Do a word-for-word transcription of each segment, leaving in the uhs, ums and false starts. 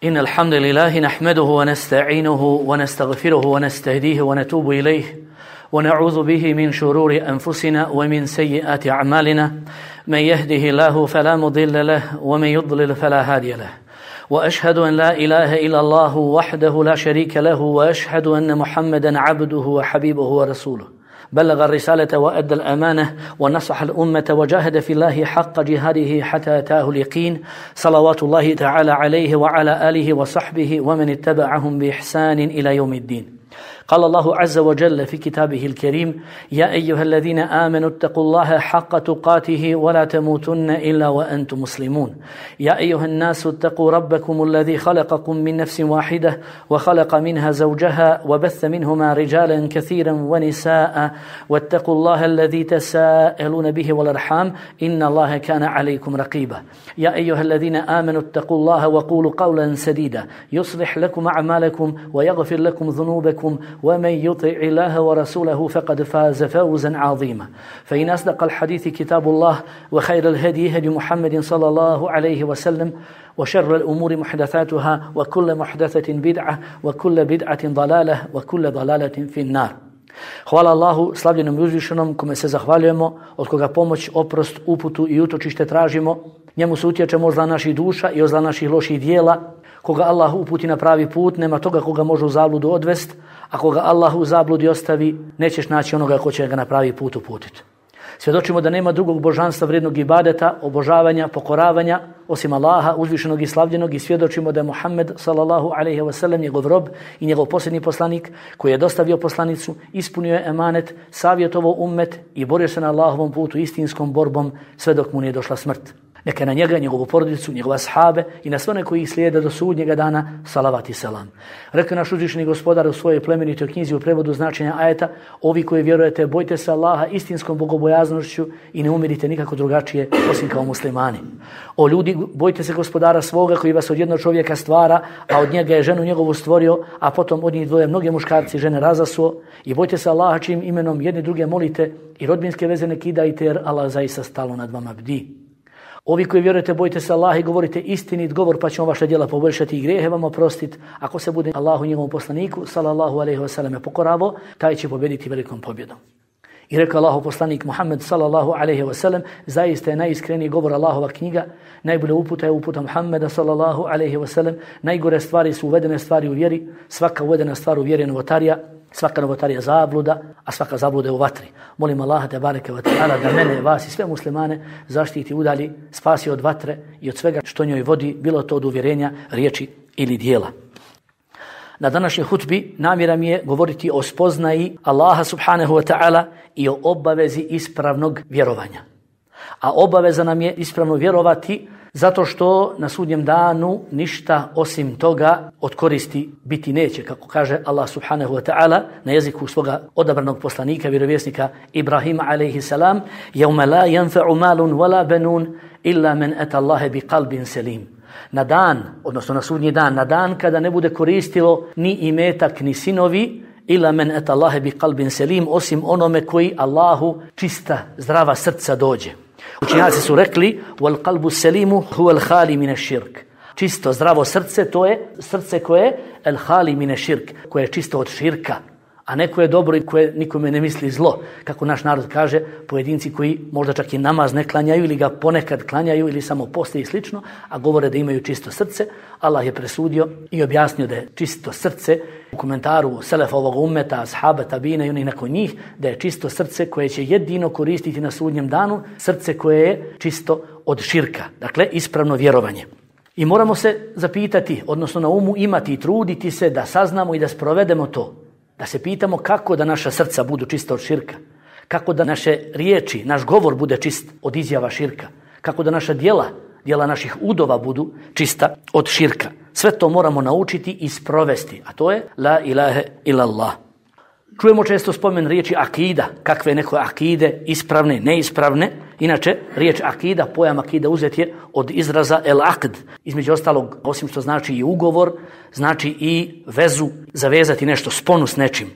إن الحمد لله نحمده ونستعينه ونستغفره ونستهديه ونتوب إليه ونعوذ به من شرور أنفسنا ومن سيئات أعمالنا من يهده الله فلا مضل له ومن يضلل فلا هادي له وأشهد أن لا إله إلا الله وحده لا شريك له وأشهد أن محمدا عبده وحبيبه ورسوله بلغ الرسالة وأدى الأمانة ونصح الأمة وجاهد في الله حق جهاده حتى أتاه اليقين صلوات الله تعالى عليه وعلى آله وصحبه ومن اتبعهم بإحسان إلى يوم الدين. قال الله عز وجل في كتابه الكريم: يا أيها الذين آمنوا اتقوا الله حق تقاته ولا تموتن إلا وأنتم مسلمون. يا أيها الناس اتقوا ربكم الذي خلقكم من نفس واحدة وخلق منها زوجها وبث منهما رجالا كثيرا ونساء واتقوا الله الذي تساءلون به والأرحام إن الله كان عليكم رقيبا. يا أيها الذين آمنوا اتقوا الله وقولوا قولا سديدا يصلح لكم أعمالكم ويغفر لكم ذنوبكم ومن يطع الله ورسوله فقد فاز فوزا عظيما. فإن أصدق الحديث كتاب الله وخير الهدي هدي محمد صلى الله عليه وسلم وشر الأمور محدثاتها وكل محدثة بدعة وكل بدعة ضلالة وكل ضلالة في النار. Hvala Allahu, slavljenom i uzvišenom, kome se zahvaljujemo, od koga pomoć, oprost, uputu i utočište tražimo. Njemu se utječemo od zla naših duša i od zla naših loših dijela. Koga Allah uputi na pravi put, nema toga koga može u zabludu odvest, a koga Allah u zabludi ostavi, nećeš naći onoga ko će ga na pravi put uputiti. Svjedočimo da nema drugog božanstva vrijednog ibadeta, obožavanja, pokoravanja, osim Allaha, uzvišenog i slavljenog, i svjedočimo da je Muhammed sallallahu alejhi ve sellem njegov rob i njegov posljednji poslanik koji je dostavio poslanicu, ispunio je emanet, savjetovao ummet i borio se na Allahovom putu istinskom borbom sve dok mu nije došla smrt. Neka na njega, njegovu porodicu, njegove ashabe i na sve one koji ih slijede do sudnjega dana salavat i selam. Rekao naš uzvišeni gospodar u svojoj plemenitoj knjizi u prevodu značenja ajeta: ovi koji vjerujete, bojte se Allaha istinskom bogobojaznošću i ne umirite nikako drugačije osim kao muslimani. O ljudi, bojte se gospodara svoga koji vas od jednog čovjeka stvara, a od njega je ženu njegovu stvorio, a potom od njih dvoje mnoge muškarci žene razasuo. I bojte se Allaha čijim imenom jedni druge molite i rodbinske veze ne kidajte, jer Allah zaista stalno nad vama bdi. Ovi koji vjerujete, bojte se Allaha i govorite istinit govor, pa će on vaše djela poboljšati i grijehe vam oprostiti. Ako se bude Allahu i njegovom poslaniku sallallahu alejhi ve sellem pokoravo, taj će pobjediti velikom pobjedom. I rekao Allahov poslanik Muhammed sallallahu alejhi ve sellem: zaista je najiskreniji govor Allahova knjiga, najbolja uputa je uputa Muhammeda sallallahu alejhi ve sellem, najgore stvari su uvedene stvari u vjeri, svaka uvedena stvar u vjeri je novotarija, svaka novotarija zabluda, a svaka zabluda je u vatri. Molim Allaha te bareke ve taala da mene, vas i sve muslimane zaštiti, udalji, spasi od vatre i od svega što njoj vodi, bilo to od uvjerenja, riječi ili dijela. Na današnjoj hutbi namjera mi je govoriti o spoznaji Allaha subhanahu wa ta'ala i o obavezi ispravnog vjerovanja. A obaveza nam je ispravno vjerovati zato što na sudnjem danu ništa osim toga od koristi biti neće, kako kaže Allah subhanahu wa ta'ala na jeziku svoga odabranog poslanika, vjerovjesnika Ibrahima alejhi salam: "Yawma la yanfa'u malun wala banun illa man ata Allaha biqalbin salim." Na dan, odnosno na sudnji dan, na dan kada ne bude koristilo ni imetak ni sinovi, illa man ata Allaha biqalbin salim, osim onome koji Allahu čista, zdrava srca dođe. Učenjaci su rekli: wal qalbu salimu huwa al khali min ash-shirk. Čisto zdravo srce, to je srce koje je al khali min ash-shirk, koje je čisto od širka, a ne koje je dobro i koje nikome ne misli zlo. Kako naš narod kaže, pojedinci koji možda čak i namaz ne klanjaju ili ga ponekad klanjaju ili samo poste i slično, a govore da imaju čisto srce, Allah je presudio i objasnio da je čisto srce u komentaru selefa ovog ummeta, ashaba, tabina i onih nakon njih, da je čisto srce koje će jedino koristiti na sudnjem danu, srce koje je čisto od širka, dakle ispravno vjerovanje. I moramo se zapitati, odnosno na umu imati i truditi se da saznamo i da sprovedemo to. Da se pitamo kako da naša srca budu čista od širka, kako da naše riječi, naš govor bude čist od izjava širka, kako da naša djela, djela naših udova budu čista od širka. Sve to moramo naučiti i sprovesti, a to je la ilaha illallah. Čujemo često spomen riječi akida, kakve neko akide, ispravne, neispravne. Inače, riječ akida, pojam akida uzet je od izraza el akd. Između ostalog, osim što znači i ugovor, znači i vezu, zavezati nešto, sponu s nečim.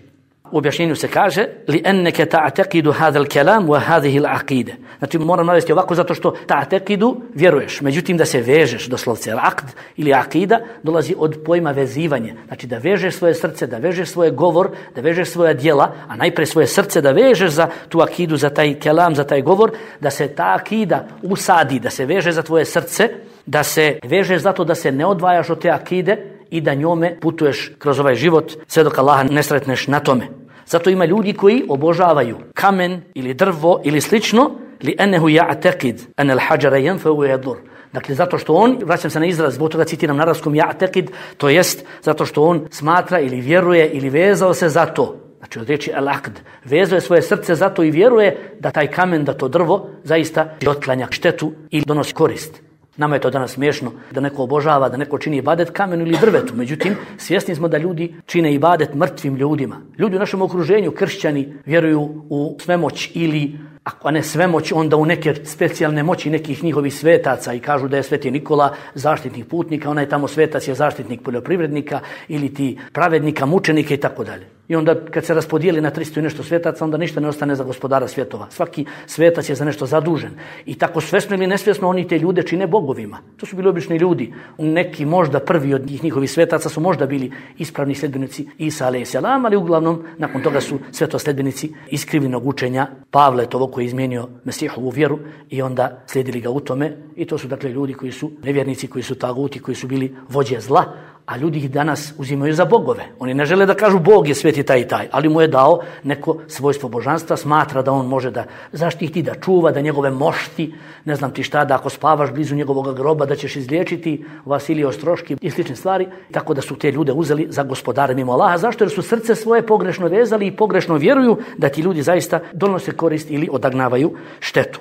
U objašnjenju se kaže li enneke ta'taqidu hadha al-kalam wa hadhihi al-aqida. Znači moram navesti ovako zato što ta'taqidu vjeruješ, međutim da se vežeš, doslovce al-aqd ili aqida dolazi od pojma vezivanje. Znači da vežeš svoje srce, da vežeš svoj govor, da vežeš svoja djela, a najprije svoje srce da vežeš za tu akidu, za taj kelam, za taj govor, da se ta akida usadi, da se veže za tvoje srce, da se vežeš zato da se ne odvajaš od te akide i da njome putuješ kroz ovaj život sve dok Allaha ne sretneš na tome. Zato ima ljudi koji obožavaju kamen ili drvo ili slično, li ennehu ja'taqid an al-hajara yanfa wa yadur. Dakle, zato što on, vraćam se na izraz, zbog toga citiram na arapskom ja'taqid, to jest zato što on smatra ili vjeruje ili vezao se za to. Znači od riječi al-aqd, vezuje svoje srce zato i vjeruje da taj kamen, da to drvo zaista otklanja štetu i donosi korist. Nama je to danas smiješno da neko obožava, da neko čini ibadet kamenu ili drvetu. Međutim, svjesni smo da ljudi čine ibadet mrtvim ljudima. Ljudi u našem okruženju, kršćani, vjeruju u svemoć ili, ako ne svemoć, onda u neke specijalne moći nekih njihovih svetaca i kažu da je Sveti Nikola zaštitnik putnika, onaj tamo svetac je zaštitnik poljoprivrednika ili ti pravednika, mučenika i tako dalje. I onda kad se raspodijeli na tristo i nešto svetaca, onda ništa ne ostane za gospodara svjetova. Svaki svetac je za nešto zadužen. I tako svjesno ili nesvjesno oni te ljude čine bogovima. To su bili obični ljudi. Neki možda prvi od njih njihovih svetaca su možda bili ispravni sljedbenici Isa alejhi selam, ali uglavnom nakon toga su sve to sljedbenici iskrivljenog učenja Pavle, to koji je izmijenio Mesihovu vjeru i onda slijedili ga u tome. I to su dakle ljudi koji su nevjernici, koji su taguti, koji su bili vođe zla. A ljudi ih danas uzimaju za bogove. Oni ne žele da kažu Bog je sveti taj i taj, ali mu je dao neko svojstvo božanstva, smatra da on može da zaštiti, da čuva, da njegove mošti, ne znam ti šta, da ako spavaš blizu njegovog groba da ćeš izliječiti Vasilije Ostroški i slične stvari, tako da su te ljude uzeli za gospodare mimo Allaha. Zašto? Jer su srce svoje pogrešno vezali i pogrešno vjeruju da ti ljudi zaista donose korist ili odagnavaju štetu.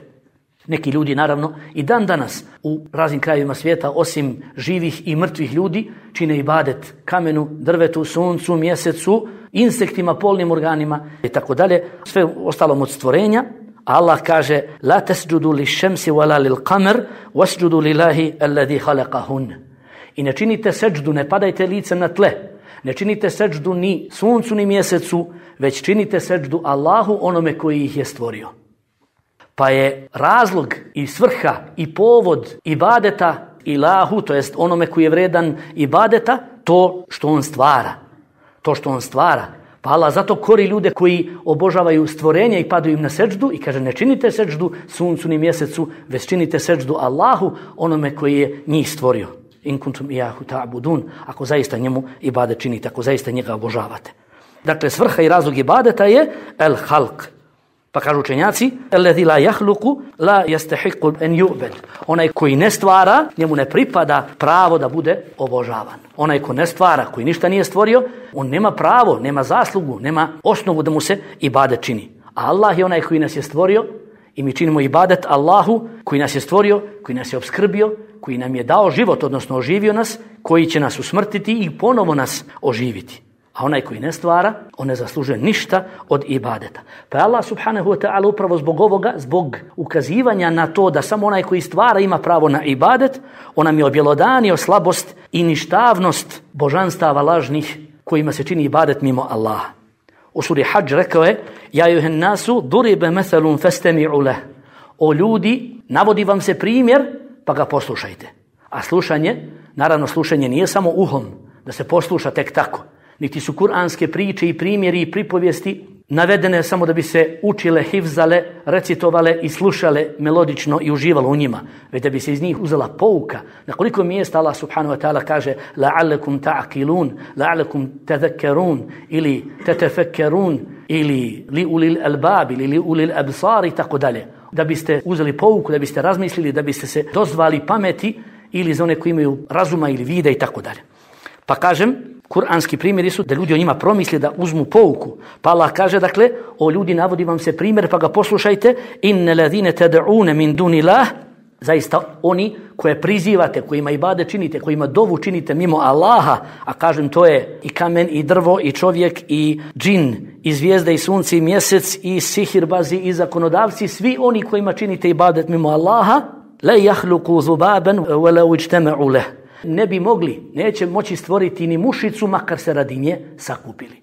Neki ljudi, naravno, i dan danas u raznim krajevima svijeta, osim živih i mrtvih ljudi, čine ibadet kamenu, drvetu, suncu, mjesecu, insektima, polnim organima i tako dalje, sve ostalom od stvorenja. Allah kaže: la tasjudu liš-šemsi wala lil-qamar wasjudu lillahi alladhi khalaqahun. I ne činite seđdu, ne padajte licem na tle. Ne činite seđdu ni suncu ni mjesecu, već činite seđdu Allahu, onome koji ih je stvorio. Pa je razlog i svrha i povod ibadeta ilahu, to jest onome koji je vredan ibadeta, to što on stvara. To što on stvara. Pa Allah zato kori ljude koji obožavaju stvorenje i padaju im na seđdu i kaže: ne činite seđdu suncu ni mjesecu, već činite seđdu Allahu, onome koji je njih stvorio. In kuntum iyahu ta'budun, ako zaista njemu ibadet činite, ako zaista njega obožavate. Dakle, svrha i razlog ibadeta je el halq. Pa kažu učenjaci: alladhi la yakhluqu la yastahiqu an yu'bad. Onaj koji ne stvara, njemu ne pripada pravo da bude obožavan. Onaj ko ne stvara, koji ništa nije stvorio, on nema pravo, nema zaslugu, nema osnovu da mu se ibadet čini. A Allah je onaj koji nas je stvorio i mi činimo ibadet Allahu koji nas je stvorio, koji nas je obskrbio, koji nam je dao život, odnosno oživio nas, koji će nas usmrtiti i ponovo nas oživiti. A onaj koji ne stvara, on ne zaslužuje ništa od ibadeta. Pa Allah subhanahu wa ta'ala upravo zbog ovoga, zbog ukazivanja na to da samo onaj koji stvara ima pravo na ibadet, on nam je objelodanio slabost i ništavnost božanstava lažnih kojima se čini ibadet mimo Allaha. U suri Hadž rekao je: ja juhen nasu duribe methalun fastami'u leh. O ljudi, navodi vam se primjer, pa ga poslušajte. A slušanje, naravno slušanje nije samo uhom, da se posluša tek tako. Niti su kuranske priče i primjeri i pripovijesti navedene samo da bi se učile, hifzale, recitovale i slušale melodično i uživalo u njima, već da bi se iz njih uzela pouka. Na koliko mjesta Allah subhanahu wa ta'ala kaže: la'allakum ta'qilun, la'allakum tadhakkarun ili tatafakkarun ili li ulil albab ili li ulil absar i tako dalje. Da biste uzeli pouku, da biste razmislili, da biste se dozvali pameti ili za one koji imaju razuma ili vida i tako dalje. Pa kažem, kuranski primjeri su da ljudi o njima promisli, da uzmu pouku. Pa Allah kaže, dakle, o ljudi, navodi vam se primjer, pa ga poslušajte: inne ladine tad'une min dunillah, zaista oni koje prizivate, kojima ibadet činite, kojima dovu činite mimo Allaha, a kažem to je i kamen, i drvo, i čovjek, i džin, i zvijezda, i sunce, i mjesec, i sihirbazi, i zakonodavci, svi oni kojima činite ibadet mimo Allaha, la yakhluqu zubaban wa law ijtama'u lahu. Ne bi mogli, neće moći stvoriti ni mušicu, makar se radi nje sakupili.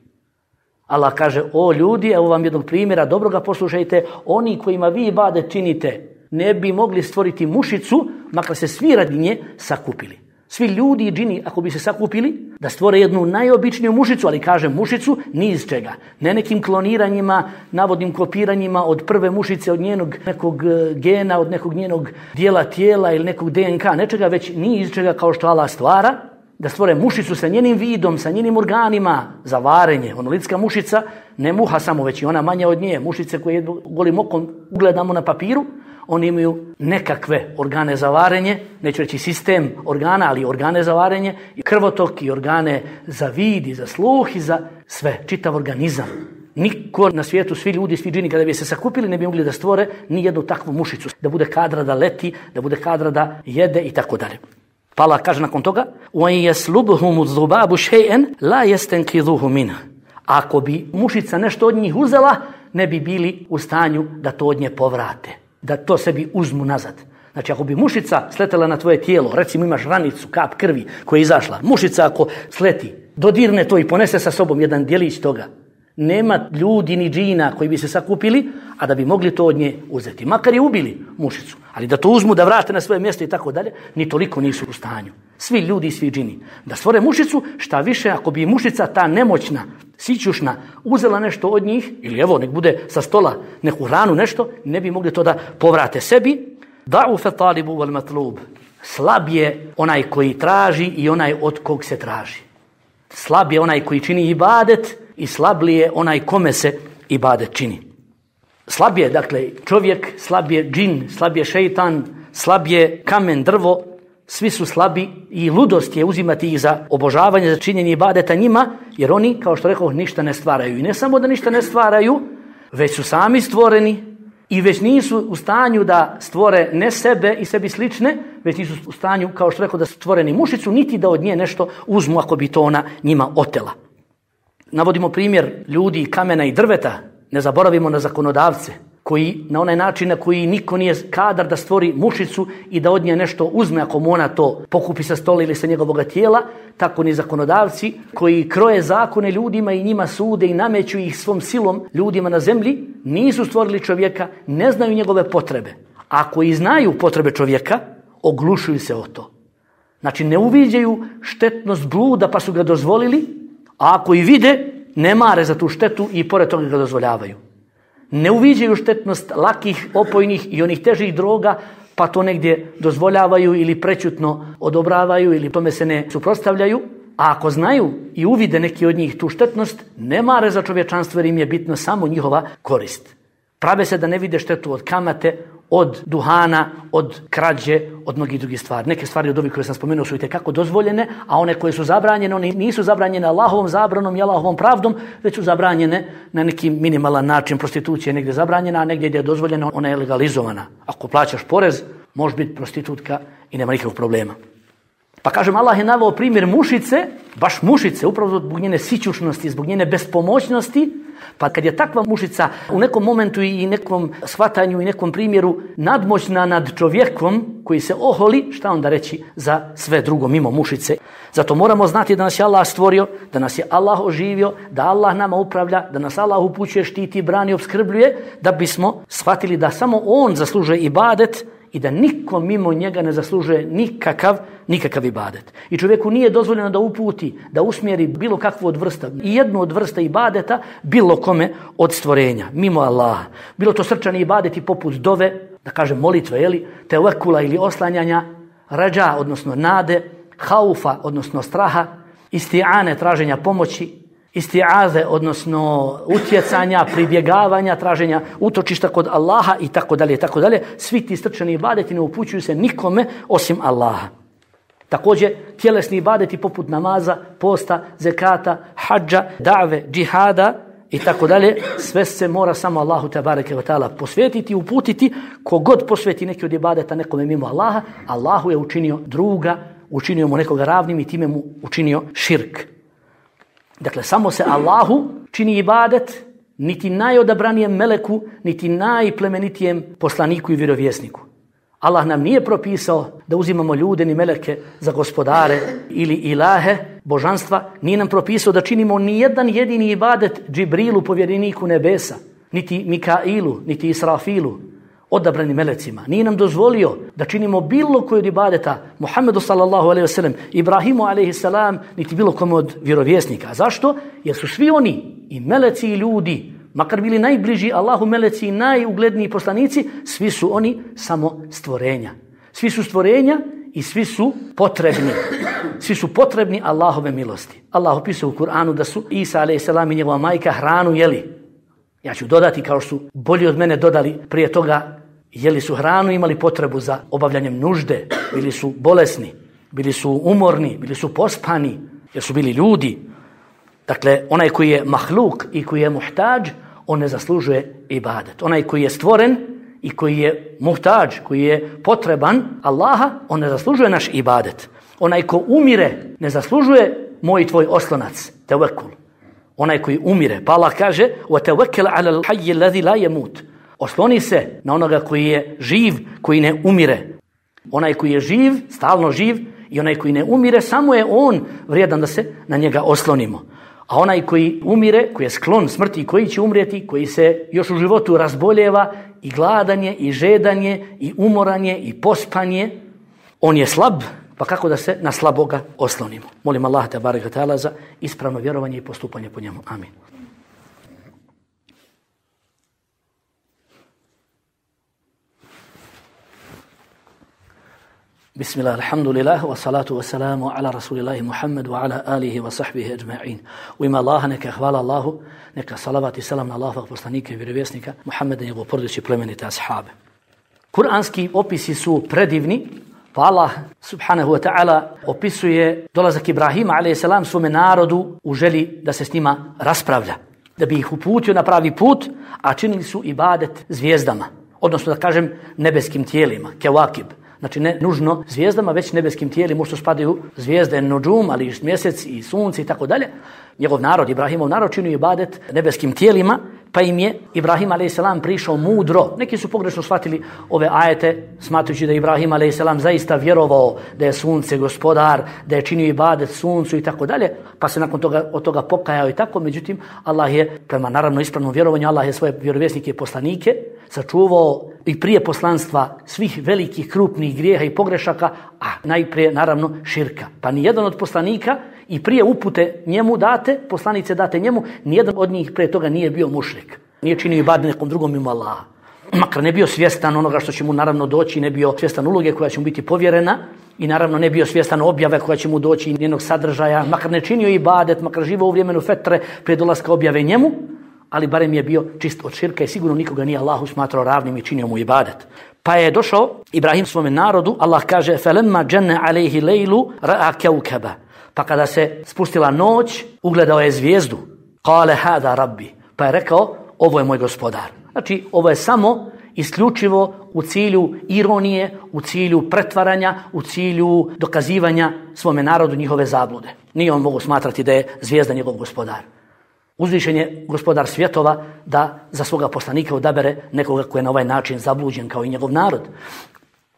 Allah kaže, o ljudi, evo vam jednog primjera, dobro ga poslušajte, oni kojima vi ibadet činite, ne bi mogli stvoriti mušicu, makar se svi radi nje sakupili. Svi ljudi i džini, ako bi se sakupili, da stvore jednu najobičniju mušicu, ali kažem mušicu, ni iz čega. Ne nekim kloniranjima, navodnim kopiranjima od prve mušice, od njenog nekog gena, od nekog njenog dijela tijela ili nekog D N K, nečega, već ni iz čega kao što Allah stvara, da stvore mušicu sa njenim vidom, sa njenim organima za varenje. Ono lidska mušica, ne muha samo, već i ona manja od nje. Mušice koje golim okom ugledamo na papiru, oni imaju nekakve organe za varenje, neću reći sistem organa, ali organe za varenje, i krvotok, i organe za vid, i za sluh, i za sve, čitav organizam. Niko na svijetu, svi ljudi, svi džini, kada bi se sakupili, ne bi mogli da stvore ni jednu takvu mušicu, da bude kadra da leti, da bude kadra da jede i tako dalje. Pa Allah kaže nakon toga: "Wa yaslubhum adh-dhubabu shay'an la yastanqidhuhu minhu." Ako bi mušica nešto od njih uzela, ne bi bili u stanju da to od nje povrate, da to sebi uzmu nazad. Znači, ako bi mušica sletela na tvoje tijelo, recimo imaš ranicu, kap krvi koja je izašla, mušica ako sleti, dodirne to i ponese sa sobom jedan djelić toga, nema ljudi ni džina koji bi se sakupili, a da bi mogli to od nje uzeti. Makar je ubili mušicu, ali da to uzmu, da vrate na svoje mjesto i tako dalje, ni toliko nisu u stanju. Svi ljudi i svi džini. Da stvore mušicu, šta više, ako bi mušica ta nemoćna, sićušna, uzela nešto od njih, ili evo, nek bude sa stola neku hranu, nešto, ne bi mogli to da povrate sebi. Da'ufa talibu wal matlub. Slab je onaj koji traži i onaj od kog se traži. Slab je onaj koji čini ibadet i slab li je onaj kome se ibadet čini. Slab je, dakle, čovjek, slab je džin, slab je šeitan, slab je kamen, drvo, svi su slabi i ludost je uzimati ih za obožavanje, za činjenje ibadeta njima, jer oni, kao što rekao, ništa ne stvaraju. I ne samo da ništa ne stvaraju, već su sami stvoreni i već nisu u stanju da stvore ne sebe i sebi slične, već nisu u stanju, kao što rekao, da su stvoreni mušicu, niti da od nje nešto uzmu ako bi to ona njima otela. Navodimo primjer ljudi, kamena i drveta, ne zaboravimo na zakonodavce, koji na onaj način na koji niko nije kadar da stvori mušicu i da od nje nešto uzme ako mu ona to pokupi sa stola ili sa njegovog tijela, tako ni zakonodavci koji kroje zakone ljudima i njima sude i nameću ih svom silom ljudima na zemlji, nisu stvorili čovjeka, ne znaju njegove potrebe. Ako i znaju potrebe čovjeka, oglušuju se o to. Znači, ne uviđaju štetnost bluda pa su ga dozvolili, a ako i vide, ne mare za tu štetu i pored toga ga dozvoljavaju. Ne uviđaju štetnost lakih, opojnih i onih težih droga, pa to negdje dozvoljavaju ili prećutno odobravaju ili tome se ne suprotstavljaju. A ako znaju i uvide neki od njih tu štetnost, ne mare za čovječanstvo jer im je bitno samo njihova korist. Prave se da ne vide štetu od kamate, od duhana, od krađe, od mnogih drugih stvari. Neke stvari od ovih koje sam spomenuo su i tekako dozvoljene, a one koje su zabranjene, one nisu zabranjene Allahovom zabranom i Allahovom pravdom, već su zabranjene na neki minimalan način. Prostitucija je negdje zabranjena, a negdje gdje je dozvoljena, ona je legalizovana. Ako plaćaš porez, možeš biti prostitutka i nema nikakvog problema. Pa kažem, Allah je naveo primjer mušice, baš mušice, upravo zbog njene sićušnosti, zbog njene bespomoćnosti. Pa kad je takva mušica u nekom momentu i nekom shvatanju i nekom primjeru nadmoćna nad čovjekom koji se oholi, šta onda reći za sve drugo mimo mušice? Zato moramo znati da nas je Allah stvorio, da nas je Allah oživio, da Allah nama upravlja, da nas Allah upućuje, štiti, brani, opskrbljuje, da bismo shvatili da samo On zaslužuje ibadet i da niko mimo njega ne zaslužuje nikakav, nikakav ibadet. I čovjeku nije dozvoljeno da uputi, da usmjeri bilo kakvu od vrsta, i jednu od vrsta ibadeta, bilo kome od stvorenja, mimo Allaha. Bilo to srčani ibadeti poput dove, da kažem molitve, jeli, tevekula ili oslanjanja, rađa, odnosno nade, haufa, odnosno straha, isti'ane, traženja pomoći, isti'aze, odnosno utjecanja, pribjegavanja, traženja utočišta kod Allaha i tako dalje, tako dalje. Svi ti srčani ibadeti ne upućuju se nikome osim Allaha. Također, tjelesni ibadeti poput namaza, posta, zekata, hadža, da've, džihada i tako dalje, sve se mora samo Allahu tebareke ve taala posvetiti, uputiti. Kogod posveti neki od ibadeta nekome mimo Allaha, Allahu je učinio druga, učinio mu nekoga ravnim i time mu učinio širk. Dakle, samo se Allahu čini ibadet, niti najodabranijem meleku, niti najplemenitijem poslaniku i vjerovjesniku. Allah nam nije propisao da uzimamo ljude ni meleke za gospodare ili ilahe, božanstva, nije nam propisao da činimo ni jedan jedini ibadet Džibrilu, povjereniku nebesa, niti Mikailu, niti Israfilu, odabranim melecima. Nije nam dozvolio da činimo bilo koji od ibadeta Muhammedu sallallahu alejhi ve sellem, Ibrahimu alejhi salam, niti bilo kome od vjerovjesnika. Zašto? Jer su svi oni, i meleci i ljudi, makar bili najbliži Allahu meleci i najugledniji poslanici, svi su oni samo stvorenja. Svi su stvorenja i svi su potrebni. Svi su potrebni Allahove milosti. Allah opisuje u Kur'anu da su Isa alejhi salam i njegova majka hranu jeli. Ja ću dodati, kao što su bolji od mene dodali prije toga, jeli su hranu, imali potrebu za obavljanjem nužde, bili su bolesni, bili su umorni, bili su pospani, jer su bili ljudi. Dakle, onaj koji je mahluk i koji je muhtađ, on ne zaslužuje ibadet. Onaj koji je stvoren i koji je muhtađ, koji je potreban Allaha, on ne zaslužuje naš ibadet. Onaj ko umire ne zaslužuje moj i tvoj oslonac, tevekul. Onaj koji umire, pa Allah kaže وَتَوَكَّلَ عَلَى الْحَيِّ الَّذِي لَا يَمُوتُ. Osloni se na onoga koji je živ, koji ne umire. Onaj koji je živ, stalno živ, i onaj koji ne umire, samo je on vrijedan da se na njega oslonimo. A onaj koji umire, koji je sklon smrti i koji će umrijeti, koji se još u životu razboljeva, i gladanje, i žedanje, i umoranje, i pospanje, on je slab, pa kako da se na slaboga oslonimo. Molim Allah te barek ve taala za ispravno vjerovanje i postupanje po njemu. Amin. Bismillah, alhamdulillah, wa salatu wa salamu ala rasulillahi Muhammed wa ala alihi wa sahbihi ajma'in. U ime Allaha neka hvala Allahu, neka salavat i salam na Allahovog poslanika i vjerovjesnika Muhammeda i njegovu porodicu i plemenite ashabe. Kur'anski opisi su predivni, pa Allah subhanahu wa ta'ala opisuje dolazak Ibrahima alejhi salam svome narodu u želji da se s njima raspravlja, da bi ih uputio na pravi put, a činili su ibadet zvijezdama, odnosno da kažem nebeskim tijelima, kewakib. Znači ne nužno zvijezdama, već nebeskim tijelima, u što spadaju zvijezde, nudžum, ali i mjesec i sunce i tako dalje. Njegov narod, Ibrahimov narod, činio ibadet nebeskim tijelima, pa im je Ibrahim alejhi salam prišao mudro. Neki su pogrešno shvatili ove ajete, smatrujući da je Ibrahim alejhi salam zaista vjerovao da je sunce gospodar, da je činio ibadet suncu i tako dalje, pa se nakon toga od toga pokajao i tako. Međutim, Allah je, prema naravno ispravnom vjerovanju, Allah je svoje vjerovjesnike i poslanike sačuvao i prije poslanstva svih velikih krupnih grijeha i pogrešaka, a najprije naravno širka. Pa ni jedan od poslanika i prije upute njemu date, poslanice date njemu, nijedan od njih prije toga nije bio mušrik. Nije činio ibadet nekom drugom mimo Allaha. Makar ne bio svjestan onoga što će mu naravno doći, ne bio svjestan uloge koja će mu biti povjerena i naravno ne bio svjestan objave koja će mu doći i njenog sadržaja, makar ne činio ibadet, makar živao u vremenu fetre prije dolaska objave njemu, ali barem je bio čist od širka i sigurno nikoga nije Allahu smatrao ravnim i činio mu ibadet. Pa je došao Ibrahim svome narodu, Allah kaže فَلَمَّا جَنَّ عَلَيْهِ لَيْلُ رَأَ كَوْكَبَ. Pa kada se spustila noć, ugledao je zvijezdu. قَالَ هَذَا رَبِّ. Pa je rekao, ovo je moj gospodar. Znači, ovo je samo isključivo u cilju ironije, u cilju pretvaranja, u cilju dokazivanja svome narodu njihove zablude. Nije on mogu smatrati da je zvijezda njegov gospodar. Uzvišen je gospodar svjetova da za svoga poslanika odabere nekoga koji je na ovaj način zabluđen kao i njegov narod.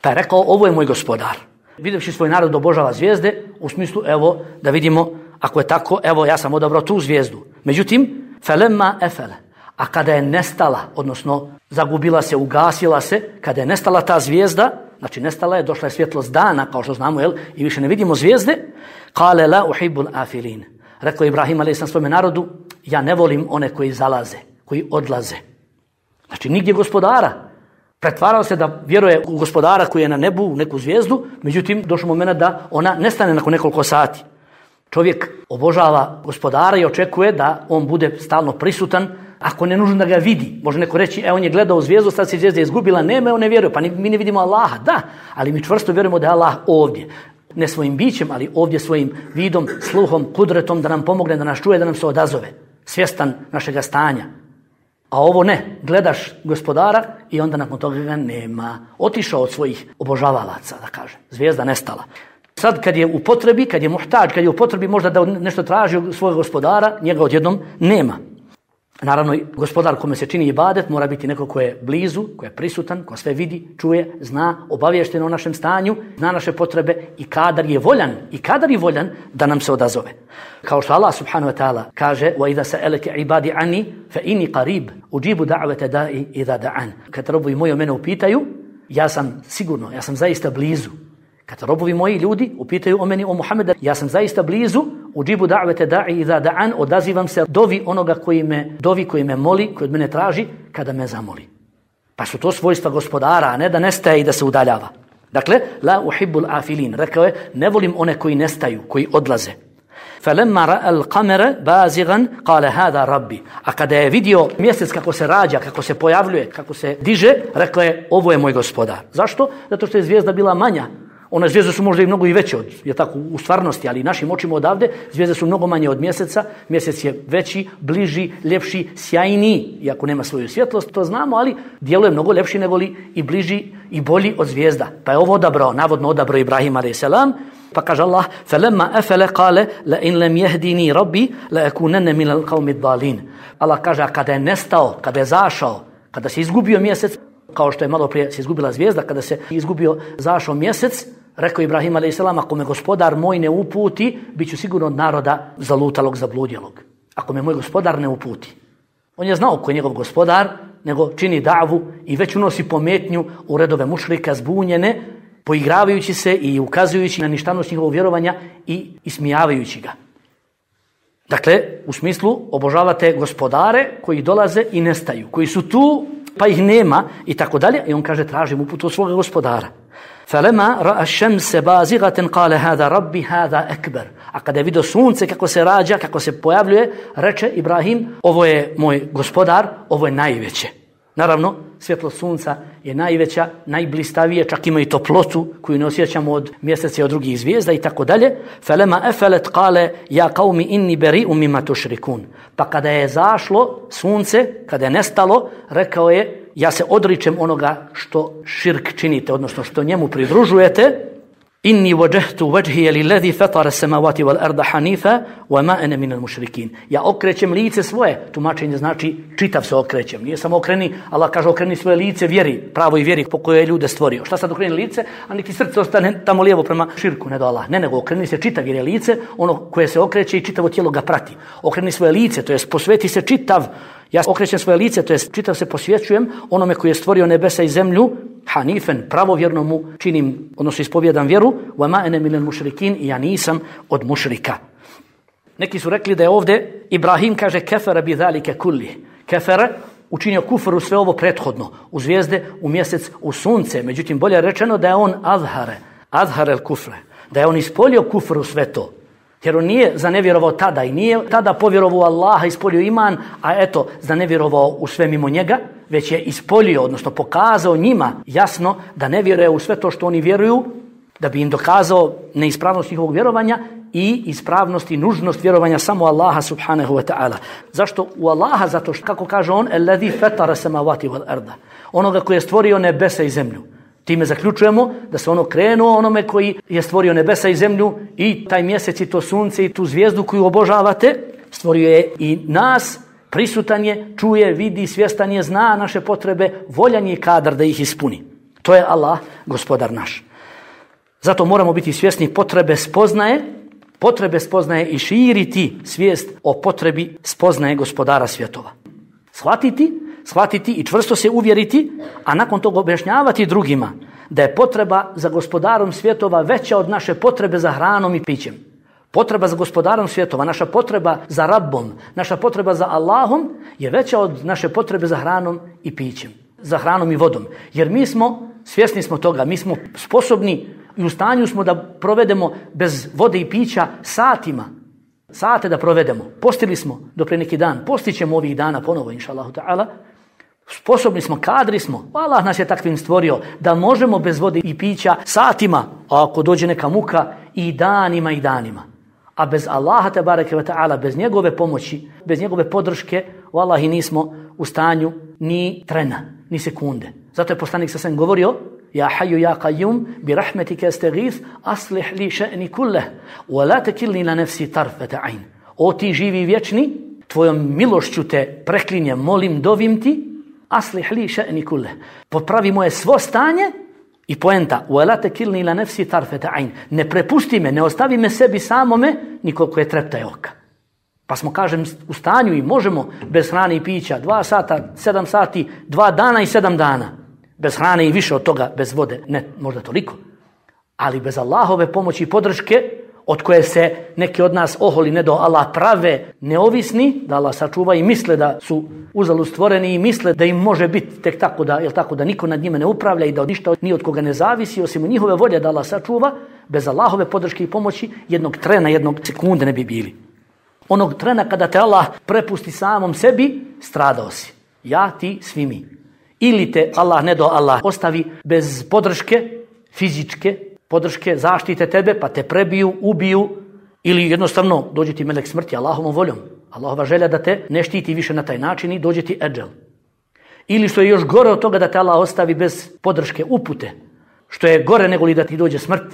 Pa je rekao, ovo je moj gospodar. Vidjevši svoj narod obožava zvijezde, u smislu, evo, da vidimo, ako je tako, evo, ja sam odabrao tu zvijezdu. Međutim, felemma efele. A kada je nestala, odnosno zagubila se, ugasila se, kada je nestala ta zvijezda, znači nestala je, došla je svjetlost dana, kao što znamo, jel, i više ne vidimo zvijezde, kale la uhibbul afilin. Rekao Ibrahim alejhi salam svome narodu, ja ne volim one koji zalaze, koji odlaze. Znači nigdje gospodara. Pretvarao se da vjeruje u gospodara koji je na nebu, u neku zvijezdu, međutim došlo moment da ona nestane nakon nekoliko sati. Čovjek obožava gospodara i očekuje da on bude stalno prisutan, ako ne nužno da ga vidi. Može neko reći, e on je gledao zvijezdu, sad se zvijezda izgubila, nema, on ne vjeruje, pa mi ne vidimo Allaha. Da, ali mi čvrsto vjerujemo da je Allah ovdje. Ne svojim bićem, ali ovdje svojim vidom, sluhom, kudretom, da nam pomogne, da nas čuje, da nam se odazove. Svjestan našega stanja. A ovo ne, gledaš gospodara i onda nakon toga ga nema. Otišao od svojih obožavalaca, da kažem. Zvijezda nestala. Sad kad je u potrebi, kad je muhtađ, kad je u potrebi možda da nešto traži od svojeg gospodara, njega odjednom nema. Naravno, gospodar kome se čini ibadet mora biti neko ko je blizu, ko je prisutan, ko sve vidi, čuje, zna, obaviješten o našem stanju, zna naše potrebe i kadar je voljan, i kadar je voljan da nam se odazove. Kao što Allah subhanahu wa ta'ala kaže: وَإِذَا سَأَلَكَ عِبَادِ عَنِّي فَإِنِّي قَرِيبٌ أُجِيبُ دَعْوَةَ دَاعِ إِذَا دَعَانِ. Kad robovi moji o mene upitaju, ja sam sigurno, ja sam zaista blizu. Kad robovi moji ljudi upitaju o meni, o Muhammeda, ja sam zaista blizu, uđibu da'vete da'i idha da'an, odazivam se dovi onoga koji me dovi, koji me moli, koji od mene traži, kada me zamoli. Pa su to svojstva gospodara, a ne da nestaje i da se udaljava. Dakle, la uhibbul afilin, rekao je, ne volim one koji nestaju, koji odlaze. فَلَمَّا رَأَ الْقَمَرَ بَازِغًا قَالَ هَذَا رَبِّ. A kada je vidio mjesec kako se rađa, kako se pojavljuje, kako se diže, rekao je, ovo je moj gospodar. Zašto? Zato što je zvijezda bila manja. One zvijezde su možda i mnogo i veće od, je tako, u stvarnosti, ali našim očima odavde zvijezde su mnogo manje od mjeseca. Mjesec je veći, bliži, ljepši, sjajniji, iako nema svoju svjetlost, to znamo, ali djeluje mnogo ljepši nego li i bliži i bolji od zvijezda. Pa je ovo odabrao, navodno odabrao Ibrahim alejhi selam. Pa kaže Allah: "Falamma afala qala la in lam yahdini rabbi la akunanna min al-qawmi ad-dallin." Allah kaže, a kada je nestao, kada je zašao, kada se izgubio mjesec, kao što je malo prije se izgubila zvijezda, kada se izgubio, zašao mjesec, rekao Ibrahim alejhi selam: ako me gospodar moj ne uputi, bit ću sigurno od naroda zalutalog, zabludjelog. Ako me moj gospodar ne uputi. On je znao ko je njegov gospodar, nego čini davu i već unosi pometnju u redove mušrika zbunjene, poigravajući se i ukazujući na ništavnost njihovog vjerovanja i ismijavajući ga. Dakle, u smislu obožavate gospodare koji dolaze i nestaju, koji su tu pa ih nema i tako dalje. I on kaže, tražim uputu od svoga gospodara. فَلَمَا رَأَ الشَّمْسَ بَازِغَةً قَالَ هَذَا رَبِّ هَذَا أَكْبَرُ. A kada je vidio sunce kako se rađa, kako se pojavljuje, reče Ibrahim, ovo je moj gospodar, ovo je najveće. Naravno, svjetlo sunca je najveća, najblistavije, čak ima i toplotu koju ne osjećamo od mjeseca i od drugih zvijezda i tako dalje. فَلَمَا أَفَلَتْ قَالَ يَا قَوْمِ إِنِّي بَرِيءٌ مِمَّا تُشْرِكُونَ. Pa kada je zašlo sunce, kada je nestalo, rekao je, ja se odričem onoga što širk činite, odnosno što njemu pridružujete. Inni wajjahtu wajhiya lillazi fatara as-samawati wal arda hanifa wa ma ana min al-mushrikin. Ja okrećem lice svoje, tumačenje znači čitav se okrećem. Nije samo okreni, Allah kaže okreni svoje lice vjeri, pravoj vjeri po kojoj je ljude stvorio. Šta sad okreni lice, a niti srce ostane tamo lijevo prema širku, ne do Allah. Ne, nego okreni se čitav jer je lice ono koje se okreće i čitavo tijelo ga prati. Okreni svoje lice, to jest posveti se čitav. Ja okrećem svoje lice, to jest čitav se posvećujem onome koji je stvorio nebesa i zemlju, hanifen, pravovjerno mu činim, odnosno ispovjedam vjeru, wa ma ana minal mušrikin, i ja nisam od mušrika. Neki su rekli da je ovdje Ibrahim kaže kefara bi zalike kulli. Kefara učinio kufru sve ovo prethodno, u zvijezde, u mjesec, u sunce. Međutim, bolje rečeno da je on azhare, azhare el kufre, da je on ispolio kufru sve to. Jer on nije zanevjerovao tada i nije tada povjerovao Allaha, ispolio iman, a eto, zanevjerovao u sve mimo njega, već je ispolio, odnosno pokazao njima jasno da ne vjeruje u sve to što oni vjeruju, da bi im dokazao neispravnost njihovog vjerovanja i ispravnost i nužnost vjerovanja samo Allaha subhanahu wa ta'ala. Zašto u Allaha? Zato što, kako kaže on, alladhi fatara samawati wal arda, onoga koji je stvorio nebesa i zemlju. Time zaključujemo da se ono krenuo onome koji je stvorio nebesa i zemlju i taj mjesec i to sunce i tu zvijezdu koju obožavate, stvorio je i nas, prisutan je, čuje, vidi, svjestan je, zna naše potrebe, voljan je kadar da ih ispuni. To je Allah, gospodar naš. Zato moramo biti svjesni potrebe spoznaje, potrebe spoznaje i širiti svijest o potrebi spoznaje gospodara svjetova. Shvatiti, shvatiti i čvrsto se uvjeriti, a nakon toga objašnjavati drugima da je potreba za gospodarom svjetova veća od naše potrebe za hranom i pićem. Potreba za gospodarom svjetova, naša potreba za Rabbom, naša potreba za Allahom je veća od naše potrebe za hranom i pićem, za hranom i vodom. Jer mi smo, svjesni smo toga, mi smo sposobni i u stanju smo da provedemo bez vode i pića satima, sate da provedemo. Postili smo do pre neki dan, postićemo ovih dana ponovo, inša Allahu ta'ala. Sposobni smo, kadri smo. Allah nas je takvim stvorio da možemo bez vode i pića satima, a ako dođe neka muka i danima i danima. A bez Allaha tebareke ve ta'ala, bez njegove pomoći, bez njegove podrške, vallahi nismo u stanju ni trena, ni sekunde. Zato je poslanik sa sam govorio: Ja hayyu ya qayyum bi rahmetika astaghith aslih li sha'ni kullah wa la takilni la nafsi tarfata ayn. O ti živi vječni, tvojom milošću te preklinjem, molim, dovim ti, aslih li še'ni kulle. Popravi moje svo stanje i poenta, وَلَا تَكِلْنِي إِلَى نَفْسِي طَرْفَةَ عَيْنٍ. Ne prepusti me, ne ostavi me sebi samome, nikoliko je treptaj oka. Pa smo, kažem, u stanju i možemo bez hrane i pića dva sata, sedam sati, dva dana i sedam dana. Bez hrane i više od toga, bez vode, ne možda toliko. Ali bez Allahove pomoći i podrške, od koje se neki od nas oholi ne do Allah prave neovisni, da Allah sačuva i misle da su uzalud stvoreni i misle da im može biti tek tako da, jel tako, da niko nad njima ne upravlja i da od ništa ni od koga ne zavisi, osim njihove volje da Allah sačuva, bez Allahove podrške i pomoći jednog trena, jednog sekunde ne bi bili. Onog trena kada te Allah prepusti samom sebi, stradao si. Ja, ti, svi mi. Ili te Allah, ne do Allah, ostavi bez podrške, fizičke podrške, zaštite tebe, pa te prebiju, ubiju, ili jednostavno dođe ti melek smrti Allahovom voljom. Allahova želja da te ne štiti više na taj način i dođe ti eđel. Ili što je još gore od toga da te Allah ostavi bez podrške, upute. Što je gore nego li da ti dođe smrt,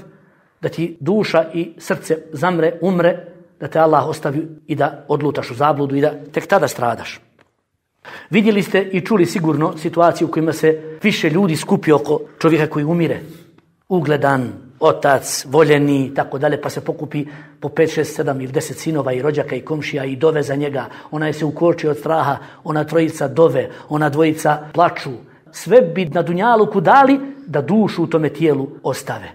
da ti duša i srce zamre, umre, da te Allah ostavi i da odlutaš u zabludu i da tek tada stradaš. Vidjeli ste i čuli sigurno situaciju u kojima se više ljudi skupi oko čovjeka koji umire. Ugledan, otac, voljeni i tako dalje, pa se pokupi po pet, šest, sedam ili deset sinova i rođaka i komšija i dove za njega. Ona je se ukočio od straha, ona trojica dove, ona dvojica plaču. Sve bi na dunjaluku dali da dušu u tome tijelu ostave.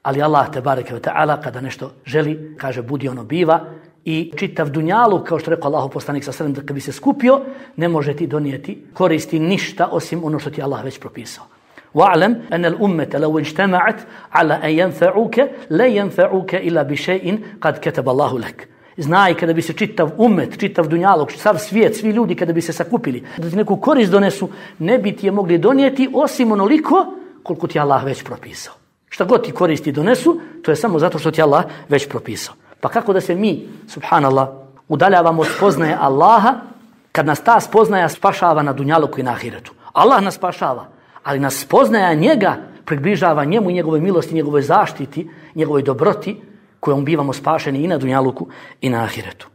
Ali Allah te bareke ve taala kada nešto želi, kaže budi ono biva i čitav dunjaluk, kao što rekao Allahov poslanik sa sredem, da kad bi se skupio, ne može ti donijeti koristi ništa osim ono što ti Allah već propisao. وَعْلَمْ أَنَّ الْأُمَّةَ لَوْ اجْتَمَعَتْ عَلَى أَنْ يَنْفَعُوكَ لَا يَنْفَعُوكَ إِلَّا بِشَيْءٍ قَدْ كَتَبَ اللَّهُ لَكَ. Znaj, kada bi se čitav umet, čitav dunjalog, sav svijet, svi ljudi kada bi se sakupili, da ti neku korist donesu, ne bi ti je mogli donijeti osim onoliko koliko ti Allah već propisao. Šta god ti koristi donesu, to je samo zato što ti Allah već propisao. Pa kako da se mi, subhanallah, udaljavamo od spoznaje Allaha, kad nas ta spoznaja spašava na dunjaluku i na ahiretu. Allah nas spašava, ali nas spoznaja njega približava njemu i njegove milosti, njegovoj zaštiti, njegovoj dobroti, kojom bivamo spašeni i na dunjaluku i na ahiretu.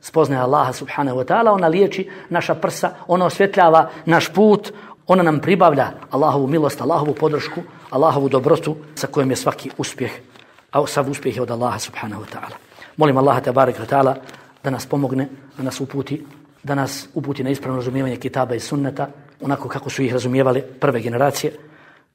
Spoznaja Allaha subhanahu wa ta'ala, ona liječi naša prsa, ona osvjetljava naš put, ona nam pribavlja Allahovu milost, Allahovu podršku, Allahovu dobrotu sa kojom je svaki uspjeh, a sav uspjeh je od Allaha subhanahu wa ta'ala. Molim Allaha tabaraka wa ta'ala da nas pomogne, da nas uputi, da nas uputi na ispravno razumijevanje kitaba i sunneta, onako kako su ih razumijevale prve generacije,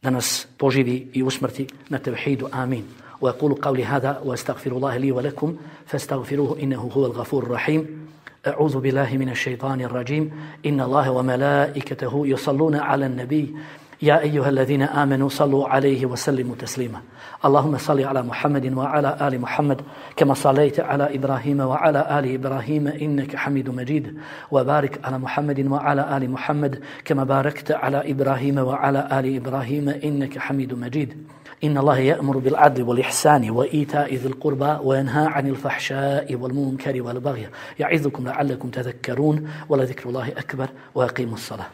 da nas poživi i usmrti na tevhidu. Amin. وأقول قولي هذا وأستغفر الله لي ولكم فاستغفروه إنه هو الغفور الرحيم. أعوذ بالله من الشيطان الرجيم. إن الله وملائكته يصلون على النبي يا أيها الذين آمنوا صلوا عليه وسلموا تسليما. اللهم صل على محمد وعلى آل محمد كما صليت على إبراهيم وعلى آل إبراهيم إنك حميد مجيد. وبارك على محمد وعلى آل محمد كما باركت على إبراهيم وعلى آل إبراهيم إنك حميد مجيد. إن الله يأمر بالعدل والإحسان وإيتاء ذي القربى وينهى عن الفحشاء والمنكر والبغي يعظكم لعلكم تذكرون ولذكر الله أكبر وأقيموا الصلاة.